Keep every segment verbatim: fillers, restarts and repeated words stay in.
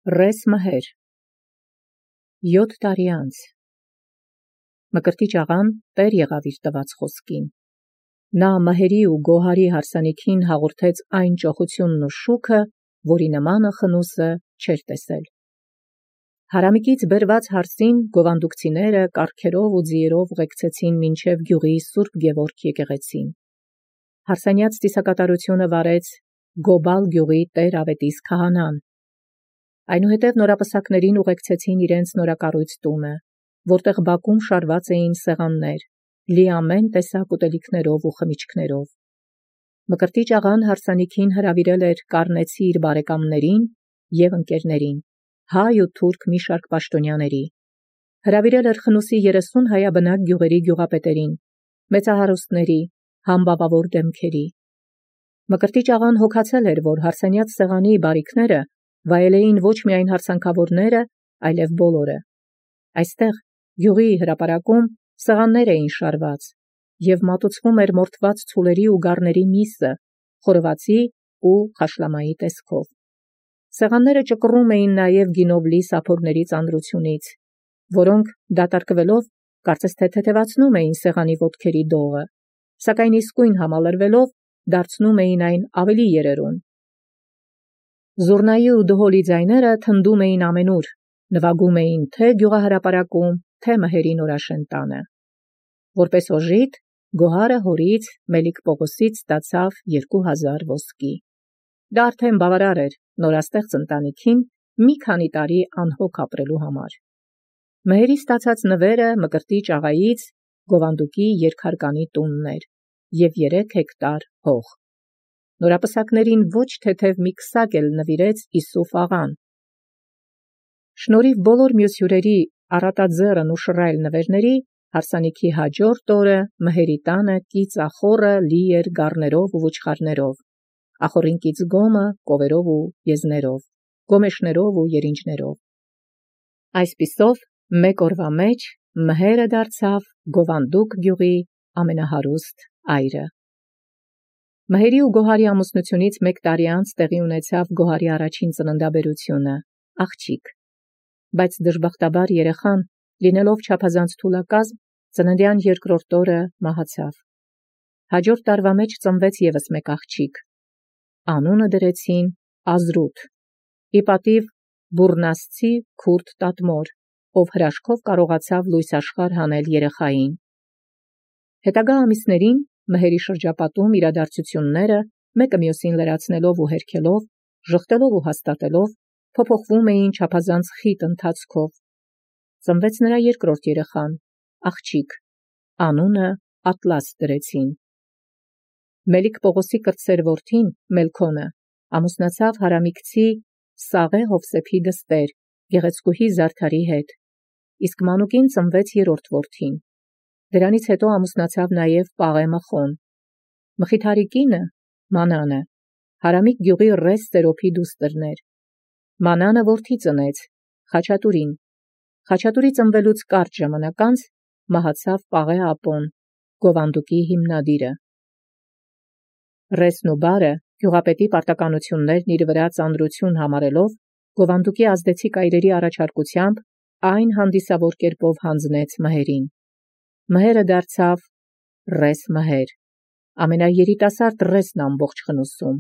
Ռես Մհեր յոթ տարի անց Մկրտիչ աղան տեր եղավ իր տված խոսքին։ Նա Մհերի ու Գոհարի հարսանիքին հաղորդեց այն ճոխությունն ու շուքը, որի նմանը խնուսը չէր տեսել։ Հարամիկից բերված հարսին գովանդուկցիները կառքերով ու ձիերով ղեկցեցին մինչև գյուղի Սուրբ Գևորգ եկեղեցին։ Հարսանյաց ծիսակատարությունը վարեց Գոբալ գյուղի տեր Ավետիս քահանան։ Այնուհետև նորապսակներին ուղեկցեցին իրենց նորակառույց տունը, որտեղ բակում շարված էին սեղաններ, լի ամեն տեսակ ուտելիքներով ու խմիչքներով։ Մկրտիչ աղան հարսանիքին հրավիրել էր կառնեցի իր բարեկամներին և ընկերներին, հայ ու թուրք մի շարք պաշտոնյաների։ Հրավիրել էր խնուսի երեսուն հայաբնակ գյուղերի գյուղապետերին, մեծահարուստների, համբավավոր դեմքերի։ Մկրտիչ աղան հոգացել էր, որ հարսանյաց սեղանի բարիքները վայելեին ոչ միայն հարսանքավորները, այլև բոլորը։ Այստեղ գյուղի հրապարակում սեղաններ էին շարված, և մատուցվում էր մորթված ցուլերի ու գառների միսը, խորովածի ու խաշլամայի տեսքով։ Սեղանները ճկռում էին նաև գինով լի սափորների ծանրությունից, որոնք դատարկվելով կարծես թե թեթևացնում էին սեղանի ոտքերի դողը, սակայն իսկույն համալրվելով դարձնում էին այն ավելի երերուն։ Զուռնայի ու դհոլի ձայները թնդում էին ամենուր, նվագում էին թե գյուղահրապարակում, թե Մհերի նորաշեն տանը։ Որպես օժիտ Գոհարը հորից Մելիք Պողոսից ստացավ երկու հազար ոսկի։ Դա արդեն բավարար էր նորաստեղծ ընտանիքին մի քանի տարի անհոգ ապրելու համար։ Մհերի ստացած նվերը Մկրտիչ աղայից Գովանդուկի երկհարկանի տունն էր և երեք հեկտար հող։ Նորապսակներին ոչ թեթև մի քսակ էլ նվիրեց Իսուֆ աղան։ Շնորհիվ բոլոր մյուս հյուրերի առատաձեռն ու շռայլ նվերների, հարսանիքի հաջորդ օրը Մհերի տանը կիծախոռը լի էր գառներով ու ոչխարներով, ախոռին կից գոմը կովերով ու եզներով, գոմեշներով ու երինջներով։ Այսպիսով մեկ օրվա մեջ Մհերը դարձավ Գովանդուկ գյուղի ամենահարուստ այրը։ Մհերի ու Գոհարի ամուսնությունից մեկ տարի անց տեղի ունեցավ Գոհարի առաջին ծննդաբերությունը, աղջիկ։ Բայց դժբախտաբար երեխան, լինելով չափազանց թուլակազմ, ծննդյան երկրորդ օրը մահացավ։ Հաջորդ տարվա մեջ ծնվեց ևս մեկ աղջիկ։ Անունը դրեցին Ազրութ, ի պատիվ Բուռնասցի քուրդ տատմոր, ով հրաշքով կարողացավ լույս աշխարհ հանել երեխային։ Հետագա ամիսներին Մհերի շրջապատում իրադարձությունները, մեկը մյուսին լրացնելով ու հերքելով, ժխտելով ու հաստատելով, փոփոխվում էին չափազանց խիտ ընթացքով։ Ծնվեց նրա երկրորդ երեխան, աղջիկ, անունը Ատլաս դրեցին։ Մելիք Պողոսի կրտսեր որդին Մելքոնը ամուսնացավ հարամիկցի Սաղե Հովսեփի դստեր, գեղեցկուհի Զարդարի հետ, իսկ մանուկին ծնվեց երրորդ որդին։ Դրանից հետո ամուսնացավ նաև Պաղե Մխոն։ Մխիթարի կինը Մանանը Հարամիկ գյուղի Ռես Սերոփի դուստրն էր։ Մանանը որդի ծնեց, Խաչատուրին։ Խաչատուրի ծնվելուց կարճ ժամանակ անց մահացավ Պաղե Ապոն, Գովանդուկի հիմնադիրը։ Ռեսն ու բարը գյուղապետի պարտականություններն իր վրա ծանրություն համարելով, Գովանդուկի ազդեցիկ այրերի առաջարկությամբ այն հանդիսավոր կերպով հանձնեց Մհերին։ Մհերը դարձավ Ռես Մհեր, ամենաերիտասարդ Ռեսն ամբողջ խնուսում։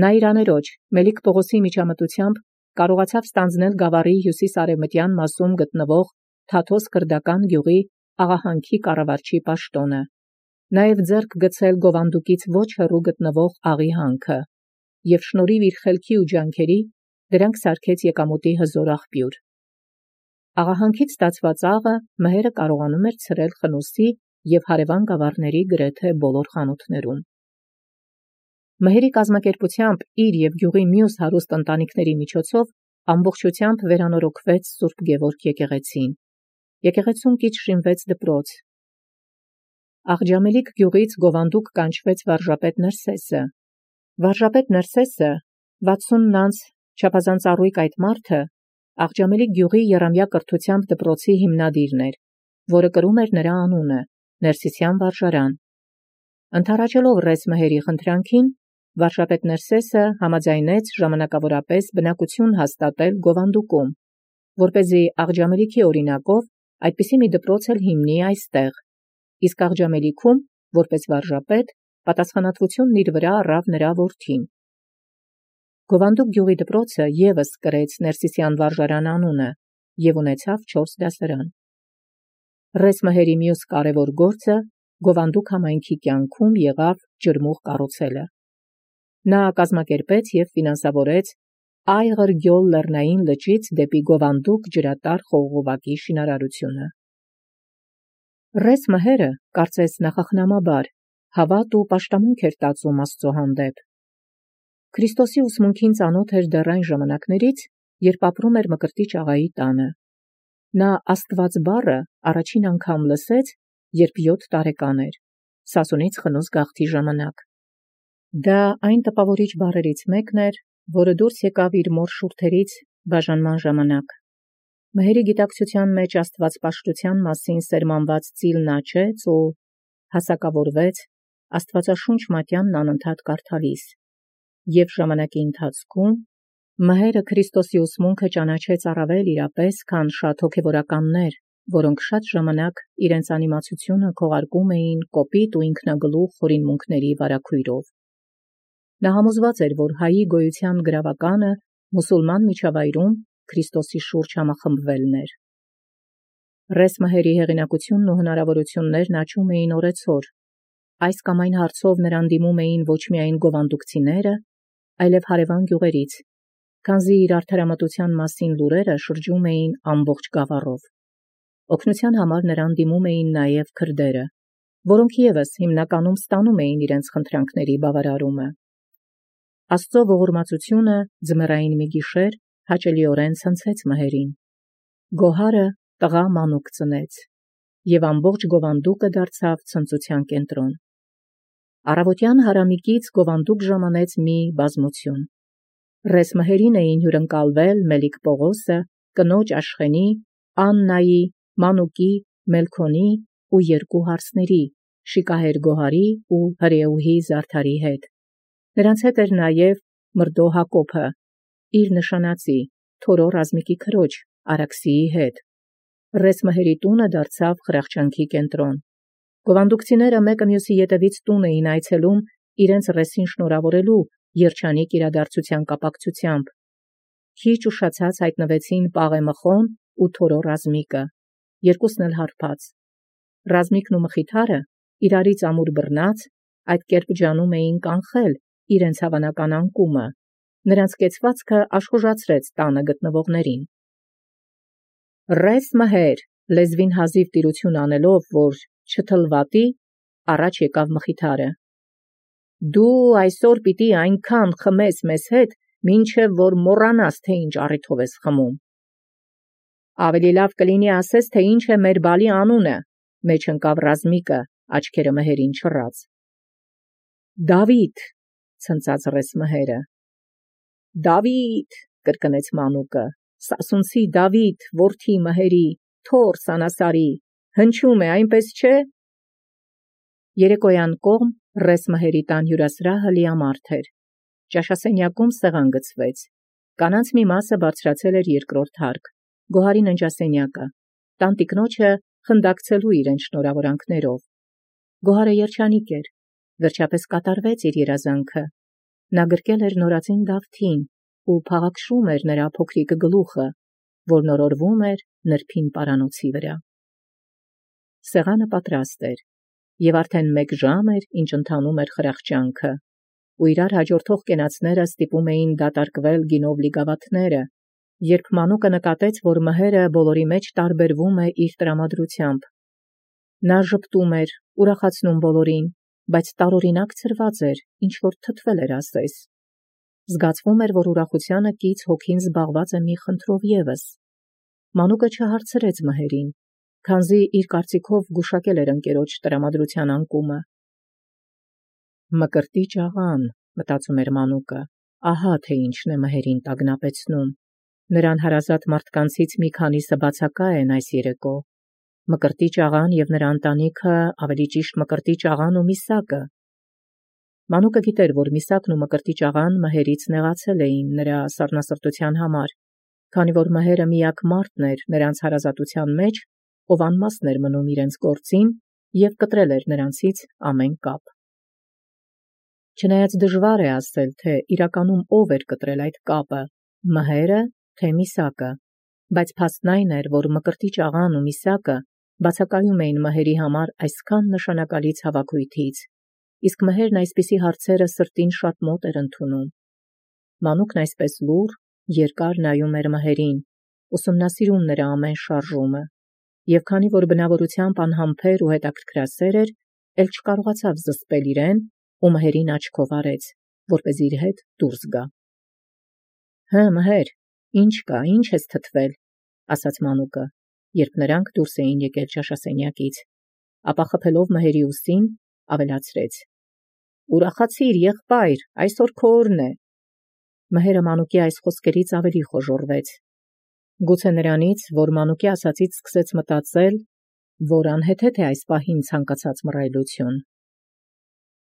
Նա իր աներոջ Մելիք Պողոսի միջամտությամբ կարողացավ ստանձնել գավառի հյուսիս-արևմտյան մասում գտնվող Թաթոս քրդական գյուղի աղահանքի կառավարչի պաշտոնը, նաև ձեռք գցել Գովանդուկից ոչ հեռու գտնվող Աղի հանքը, և շնորհիվ իր խելքի ու ջանքերի դրանք սարքեց եկամուտի հզոր աղբյուր։ Աղահանքից ստացված աղը Մհերը կարողանում էր ցրել խնուսի և հարևան գավառների գրեթե բոլոր խանութներում։ Մհերի կազմակերպությամբ իր և գյուղի մյուս հարուստ ընտանիքների միջոցով ամբողջությամբ վերանորոգվեց Սուրբ Գևորգ եկեղեցին։ Եկեղեցում կից շինվեց դպրոց։ Աղջամելիք գյուղից Գովանդուկ կանչվեց վարժապետ Ներսեսը։ Վարժապետ Ներսեսը, վաթսուն անց չափազանց առույգ այդ մարդը, Աղջամելիք գյուղի եռամյա կրթությամբ դպրոցի հիմնադիրն էր, որը կրում էր նրա անունը, Ներսիսյան վարժարան։ Ընդառաջելով Ռես Մհերի խնդրանքին, Վարշապետ Ներսեսը համաձայնեց ժամանակավորապես բնակություն հաստատել Գովանդուկում, որպեսզի Աղջամելիքի օրինակով այդպիսի մի դպրոց էլ հիմնի այստեղ, իսկ Աղջամելիքում, որպես վարժապետ, պատասխանատվությունն իր վրա առավ նրա որդին։ Գովանդուկ գյուղի դպրոցը ևս կրեց Ներսիսյան վարժարան անունը և ունեցավ չորս դասարան։ Ռես Մհերի մյուս կարևոր գործը Գովանդուկ համայնքի կյանքում եղավ ջրմուղ կառուցելը։ Նա կազմակերպեց և ֆինանսավորեց Այղր գյոլ լեռնային լճից դեպի Գովանդուկ ջրատար խողովակի շինարարությունը։ Ռես Մհերը, կարծես նախախնամաբար, հավատ ու պաշտամունք էր տածում Աստծո հանդեպ։ Քրիստոսի ուսմունքին ծանոթ էր դեռ այն ժամանակներից, երբ ապրում էր Մկրտիչ աղայի տանը։ Նա Աստված բառը առաջին անգամ լսեց, երբ յոթ տարեկան էր, Սասունից խնուց գաղթի ժամանակ։ Դա այն տպավորիչ բառերից մեկն էր, որը դուրս եկավ իր մոր շուրթերից բաժանման ժամանակ։ Մհերի գիտակցության մեջ աստվածպաշտության մասին սերմանված ծիլն աճեց ու հասակավորվեց Աստվածաշունչ մատյանն անընդհատ կարդալիս, և ժամանակի ընթացքում Մհերը Քրիստոսի ուսմունքը ճանաչեց առավել իրապես, քան շատ հոգևորականներ, որոնք շատ ժամանակ իրենց անիմացությունը քողարկում էին կոպիտ ու ինքնագլուխ խորինմունքների վարագույրով։ Նա համոզված էր, որ հայի գոյության գրավականը մուսուլման միջավայրում Քրիստոսի շուրջ համախմբվելն էր։ Ռես Մհերի հեղինակությունն ու հնարավորություններն աճում էին օրեցօր։ Այս կամ այն հարցով նրան դիմում էին ոչ միայն գովանդուկցիները, այլև հարևան գյուղերից, քանզի իր արդարամտության մասին լուրերը շրջում էին ամբողջ գավառով։ Օգնության համար նրան դիմում էին նաև քրդերը, որոնք ևս հիմնականում ստանում էին իրենց խնդրանքների բավարարումը։ Աստծո ողորմածությունը ձմեռային մի գիշեր հաճելիորեն ցնցեց Մհերին։ Գոհարը տղա մանուկ ծնեց, և ամբողջ Գովանդուկը դարձավ ցնծության կենտրոն։ Առավոտյան հարամիկից Գովանդուկ ժամանեց մի բազմություն։ Ռես Մհերին էին հյուրընկալվել Մելիք Պողոսը, կնոջ Աշխենի, Աննայի, մանուկի, Մելքոնի ու երկու հարսների՝ շիկահեր Գոհարի ու հրեուհի Զարդարի հետ։ Նրանց հետ էր նաև մրդո Հակոբը, իր նշանածի, Թորո Ռազմիկի քրոջ Արաքսիի հետ։ Ռես Մհերի տունը դարձավ խրախճանքի կենտրոն։ Գովանդուկցիները մեկը մյուսի ետևից տուն էին այցելում իրենց ռեսին շնորհավորելու երջանիկ իրադարձության կապակցությամբ։ Քիչ ուշացած հայտնվեցին Պաղե Մխոն ու Թորո Ռազմիկը, երկուսն էլ հարբած։ Ռազմիկն ու Մխիթարը, իրարից ամուր բռնած, այդ կերպ ջանում էին կանխել իրենց հավանական անկումը, նրանց կեցվածքը աշխուժացրեց տանը գտնվողներին։ Ռես Մհեր, լեզվին հազիվ տիրություն անելով, որ չթլվատի, առաջ եկավ Մխիթարը։ Դու այսօր պիտի այնքան խմես մեզ հետ, մինչև որ մոռանաս, թե ինչ առիթով ես խմում։ Ավելի լավ կլինի ասես, թե ինչ է մեր բալի անունը, մեջ ընկավ Ռազմիկը, աչքերը Մհերին չռած։ Դավիթ, ցնծաց Ռես Մհերը։ Դավիթ, կրկնեց մանուկը, Սասունցի Դավիթ, որդի Մհերի, թոռ Սանասարի, հնչում է, այնպես չէ։ Երեկոյան կողմ Ռես Մհերի տան հյուրասրահը լիամարդ էր։ Ճաշասենյակում սեղան գցվեց։ Կանանց մի մասը բարձրացել էր երկրորդ հարկ, Գոհարի ննջասենյակը, տանտիկնոջը խնդակցելու իրեն շնորհավորանքներով։ Գոհարը երջանիկ էր, վերջապես կատարվեց իր երազանքը։ Նա գրկել էր նորածին Դավթին ու փաղաքշում էր նրա փոքրիկ գլուխը, որ նորորվում էր նրբին պարանոցի վրա։ Սեղանը պատրաստ էր, և արդեն մեկ ժամ էր, ինչ ընթանում էր խրախճանքը, ու իրար հաջորդող կենացները ստիպում էին դատարկվել գինով լի գավաթները, երբ մանուկը նկատեց, որ Մհերը բոլորի մեջ տարբերվում է իր տրամադրությամբ։ Նա ժպտում էր, ուրախացնում բոլորին, բայց տարօրինակ ցրված էր, ինչ-որ թթվել էր ասես։ Զգացվում էր, որ ուրախությանը կից հոգին զբաղված է մի խնդրով ևս։ Մանուկը չհարցրեց Մհերին, քանզի իր կարծիքով գուշակել էր ընկերոջ տրամադրության անկումը։ Մկրտիչ աղան, մտածում էր մանուկը, ահա թե ինչն է Մհերին տագնապեցնում։ Նրան հարազատ մարդկանցից մի քանիսը բացակա են այս երեկո։ Մկրտիչ աղան և նրա ընտանիքը, ավելի ճիշտ Մկրտիչ աղան ու Միսակը։ Մանուկը գիտեր, որ Միսակն ու Մկրտիչ աղան մհերից նեղացել էին նրա սառնասրտութեան համար, քանի որ մհերը միակ մարդն էր նրանց հարազատութեան մեջ, ով անմասն էր մնում իրենց գործին եւ կտրել էր նրանցից ամեն կապ։ Չնայած դժվար է ասել, թե իրականում ով էր կտրել այդ կապը, մհերը, թե Միսակը, բայց փաստն այն էր, որ Մկրտիչ աղան ու Միսակը բացակայում էին մհերի համար այսքան նշանակալից հավաքույթից, իսկ մհերն այսպիսի հարցերը սրտին շատ մոտ էր ընդունում։ Մանուկն այսպես լուռ, երկար նայում էր մհերին, ուսումնասիրում նրա ամեն շարժումը, եւ քանի որ բնավորությամբ անհամբեր ու հետաքրքրասեր էր, ել չկարողացավ զսպել իրեն ու մհերին աչքով արեց, որպեսզի իր հետ դուրս գա։ «Հը, մհեր, ինչ կա, ինչ ես թթվել», ասաց մանուկը, երբ նրանք դուրս էին եկել ճաշասենյակից, ապա խփելով մհերի ուսին, ավելացրեց. «Ուրախացիր, եղբայր, այսօր քո օրն է»։ Մհերը մանուկի այս խոսքերից ավելի խոժոռվեց։ Գուցե նրանից, որ մանուկի ասածից սկսեց մտածել, որ անհեթեթ է այս պահին ցանկացած մռայլություն։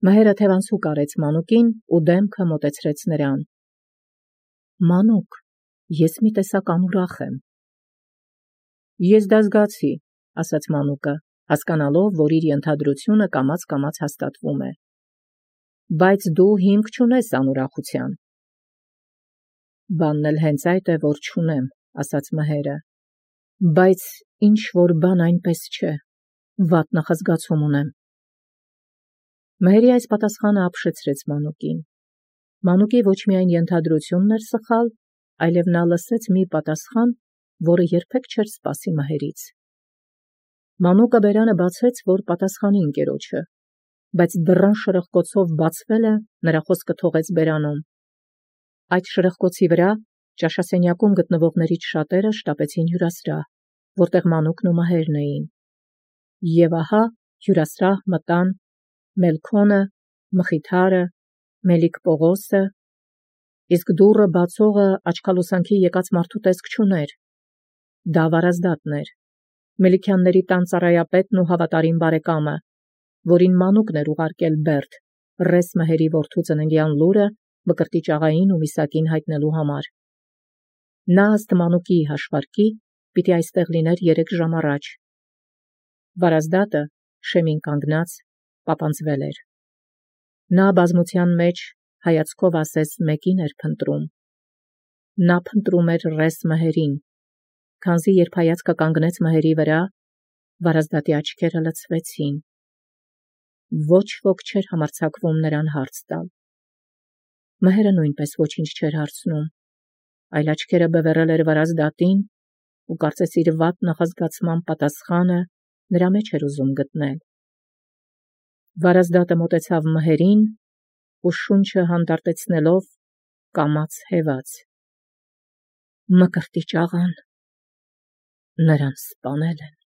Մհերը թևանցուկ արեց մանուկին ու դեմքը մոտեցրեց նրան։ «Մանուկ, ես մի տեսակ անուրախ եմ»։ «Ես դա զգացի», ասաց մանուկը, հասկանալով, որ իր ենթադրությունը կամաց-կամաց հաստատվում է։ «Բայց դու հիմք չունես անուրախության»։ «Բանն էլ հենց այդ է, որ չունեմ», ասաց մհերը, «բայց ինչ-որ բան այնպես չէ, վատ նախազգացում ունեմ»։ Մհերի այս պատասխանը ապշեցրեց մանուկին։ Մանուկի ոչ միայն ենթադրությունն էր սխալ, այլև նա լսեց մի պատասխան, որը երբեք չէր սպասի մհերից։ Մանուկը բերանը բացեց, որ պատասխանի ընկերոջը, բայց դռան շրխկոցով բացվելը նրա խոսքը թողեց բերանում։ Այդ շրխկոցի վրա ճաշասենյակում գտնվողներից շատերը շտապեցին հյուրասրահ, որտեղ մանուկն ու մհերն էին։ Եվ ահա հյուրասրահ մտան Մելքոնը, Մխիթարը, Մելիք Պողոսը, իսկ դուռը բացողը աչքալուսանքի եկած մարդու տեսք չուներ։ Դա Վարազդատն էր, Մելիքյանների տան ծառայապետն ու հավատարիմ բարեկամը, որին մանուկն էր ուղարկել Բերդ, ռես մհերի որդու ծննդյան լուրը Մկրտիչ աղային ու Միսակին հայտնելու համար։ Նա ըստ մանուկի հաշվարկի պիտի այստեղ լիներ երեք ժամ առաջ։ Վարազդատը շեմին կանգնած պապանձվել էր։ Նա բազմության մեջ հայացքով ասես մեկին էր փնտրում։ Նա փնտրում էր ռես մհերին, քանզի երբ հայացքը կանգնեց մհերի վրա, Վարազդատի աչքերը լցվեցին։ Ոչ ոք չէր համարձակվում նրան հարց տալ։ Մհերը նույնպես ոչինչ չէր հարցնում, այլ աչքերը բևեռել էր Վարազդատին ու կարծես իր վատ նախազգացման պատասխանը նրա մեջ էր ուզում գտնել։ Վարազդատը մոտեցավ մհերին ու շունչը հանդարտեցնելով կամաց հեվաց. «Մկրտիչ աղան, նրան սպանել են»։